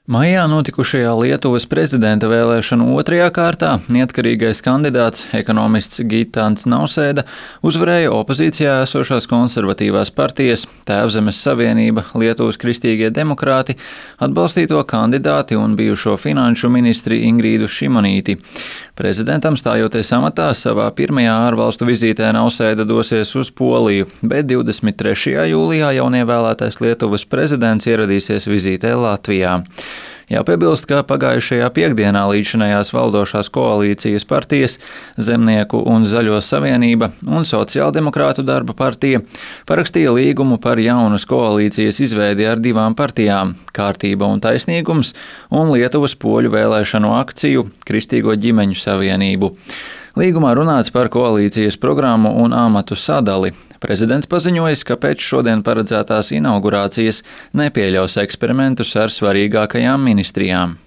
Maijā notikušajā Lietuvas prezidenta vēlēšanu otrajā kārtā neatkarīgais kandidāts, ekonomists Gitans Nausēda, uzvarēja opozīcijā esošās konservatīvās partijas Tēvzemes Savienība, Lietuvas kristīgie demokrāti, atbalstīto kandidāti un bijušo finanšu ministri Ingrīdu Šimonīti. Prezidentam stājoties amatā, savā pirmajā ārvalstu vizītē Nausēda dosies uz Poliju, bet 23. jūlijā jaunievēlētais Lietuvas prezidents ieradīsies vizītē Latvijā. Jāpiebilst, ka pagājušajā piekdienā līdzinājās valdošās koalīcijas partijas Zemnieku un Zaļo savienība un Sociāldemokrātu darba partija parakstīja līgumu par jaunas koalīcijas izveidi ar divām partijām – Kārtība un taisnīgums un Lietuvas poļu vēlēšanu akciju Kristīgo ģimeņu savienību. Līgumā runāts par koalīcijas programmu un amatu sadali. Prezidents paziņojis, ka pēc šodien paredzētās inaugurācijas nepieļaus eksperimentus ar svarīgākajām ministrijām.